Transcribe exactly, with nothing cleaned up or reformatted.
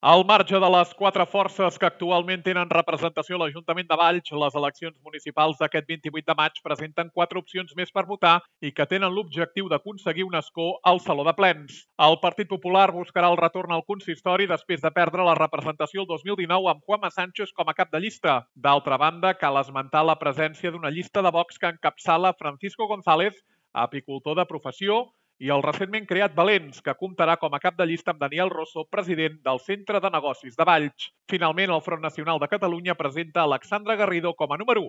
Al marge de les quatre forces que actualment tenen representació a l'Ajuntament de Valls, les eleccions municipals d'aquest vint-i-vuit de maig presenten quatre opcions més per votar i que tenen l'objectiu d'aconseguir un escó al Saló de Plens. El Partit Popular buscarà el retorn al consistori després de perdre la representació el dos mil dinou amb Juanma Sánchez com a cap de llista. D'altra banda, cal esmentar la presència d'una llista de Vox que encapçala Francisco González, apicultor de professió, i el recentment creat Valens, que comptarà com a cap de llista amb Daniel Rosso, president del Centre de Negocis de Valls. Finalment, el Front Nacional de Catalunya presenta Alexandra Garrido com a número u.